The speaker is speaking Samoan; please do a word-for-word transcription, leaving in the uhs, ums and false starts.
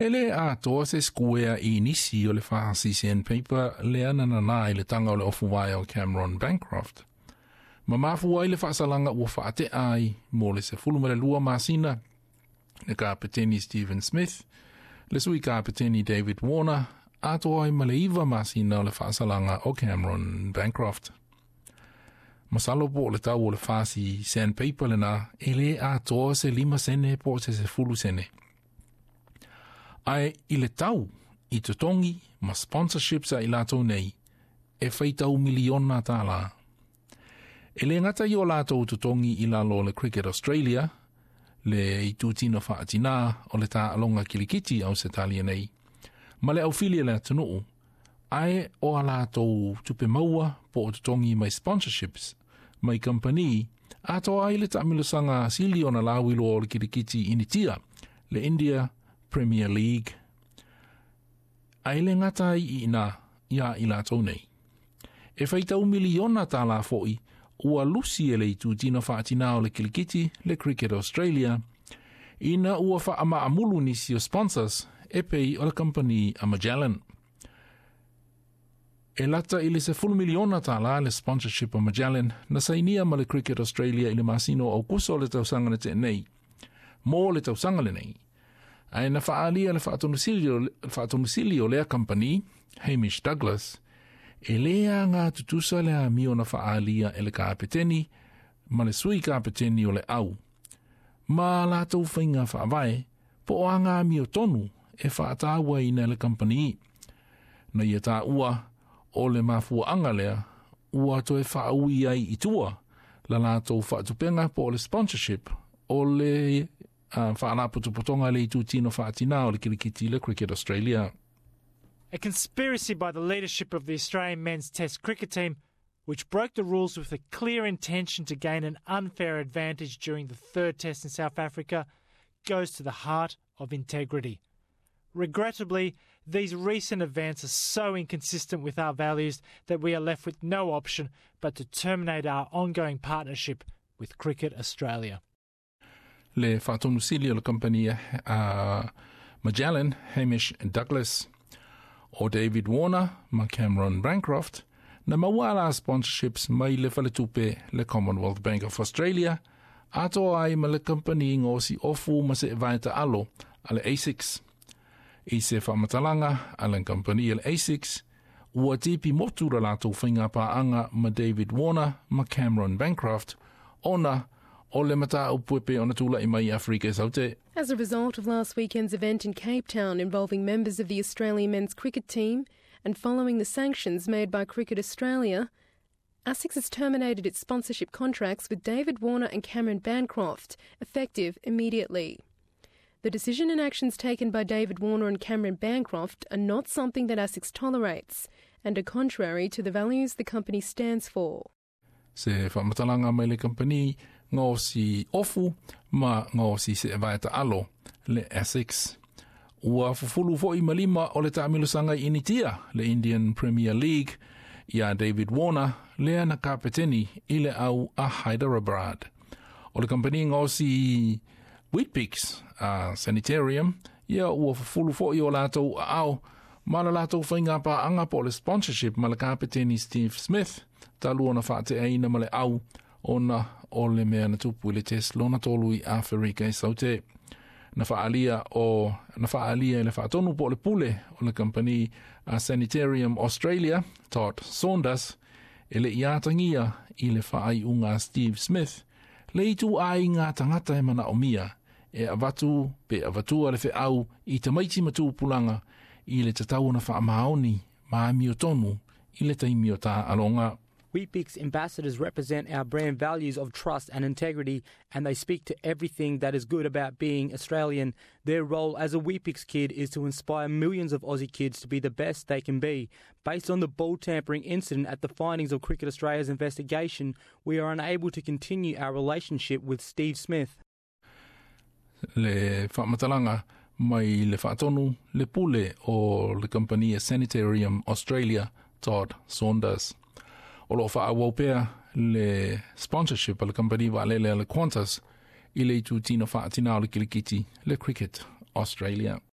E le atoa se sikuea i nisi o le fasi sandpaper lea na nanā i le taga o le ofu vaea o Cameron Bancroft. Ma mafua ai le faasalaga ua faatea ai mo le sefulu ma le lua masina le kapeteni Stephen Smith, le sui kapeteni David Warner, atoa ai ma le iva masina o le faasalaga o Cameron Bancroft. Masalo po o le tau o le fasi sandpaper lenā e lē atoa se lima sene po o se sefulu sene. Ae i le tau i totogi ma sponsorships a i latou nei, e faitau miliona tālā. E lē gata i o latou totogi i lalo o le Cricket Australia, le itutino faatinā o le taaloga kilikiti Ausetalia nei, ma le aufili a le atunuu, ae o a latou tupe maua po o totogi mai sponsorships mai kamupani atoa ai le taamilosaga sili ona lauiloa o le kilikiti Initia, le India Premier League. Ae lē gata ai i inā iā i latou nei. E faitau miliona tālā foʻi ua lusi e le itutino faatinā o le kilikiti le Cricket Australia ina ua faamaamulu nisi o sponsors e pei o le kamupani a Magellan. E lata i le sefulu miliona tālā le sponsorship o Magellan na sainia ma le Cricket Australia i le masina o Aukuso o le tausaga na tea nei. Mo le tausaga lenei. Ae na faaalia le faatonusili o lea kamupani, Hamish Douglas, e lē agā tutusa le amio na faaalia e le kapeteni ma le sui kapeteni o le au. Ma latou faiga faavae po o aga amiotonu e faatauaina e le kamupani. Na ia taua o le mafuaaga lea ua toe faaui ai i tua la latou faatupega po o le sponsorship o le uh, faalapotopotoga le itutino faatinā o le kilikiti le Cricket Australia. A conspiracy by the leadership of the Australian men's Test cricket team, which broke the rules with a clear intention to gain an unfair advantage during the third test in South Africa, goes to the heart of integrity. Regrettably, these recent events are so inconsistent with our values that we are left with no option but to terminate our ongoing partnership with Cricket Australia. Le faatonusili o le kamupani uh, Magellan, Hamish Douglas, o David Warner ma Cameron Bancroft, na maua la sponsorships mai le faletupe le Commonwealth Bank of Australia, atoa ai ma le kamupani gaosi ofu ma seevae taalo a le ASICS. I se faamatalaga a le kamupani le ASICS, ua tipi motu la latou faiga paaga ma David Warner ma Cameron Bancroft, ona o le mataupu e pei ona tulaʻi mai Afrika i Saute. As a result of last weekend's event in Cape Town involving members of the Australian men's cricket team and following the sanctions made by Cricket Australia, ASICS has terminated its sponsorship contracts with David Warner and Cameron Bancroft, effective immediately. The decision and actions taken by David Warner and Cameron Bancroft are not something that ASICS tolerates and are contrary to the values the company stands for. Se faamatalaga mai le kamupani gaosi ofu ma gaosi seevae taalo le ASICS. Ua fufulu foʻi ma lima o le taamilosaga i Initia, le Indian Premier League, iā David Warner, lea na kapeteni i le au a Hyderabad. O le kamupani gaosi Weet-Bix a Sanitarium, ia ua fufulu foʻi o latou aao ma la latou faiga paaga po o le sponsorship ma le kapeteni Steve Smith, talu ona faateaina ma le au ona o le mea na tupu i le test lona tolu i Aferika i Saute. Na faaalia o na faaalia i le faatonu po o le pule o le kamupani a Sanitarium Australia, Todd Saunders, e leʻi atagia i le faaiuga a Steve Smith, le ituaiga tagata e manaomia e avatu pe avatua le feau i tamaiti ma tupulaga i le tatau ona faamaoni ma amiotonu i le taimi o taaloga. Weet-Bix ambassadors represent our brand values of trust and integrity, and they speak to everything that is good about being Australian. Their role as a Weet-Bix kid is to inspire millions of Aussie kids to be the best they can be. Based on the ball tampering incident at the findings of Cricket Australia's investigation, we are unable to continue our relationship with Steve Smith. Le faamatalaga mai le faatonu le pule o le kamupani Sanitarium Australia, Todd Saunders. O loo faaauau pea le sponsorship a le kamupani vaalele a le Qantas i le itutino faatinā o le kilikiti le Cricket Australia.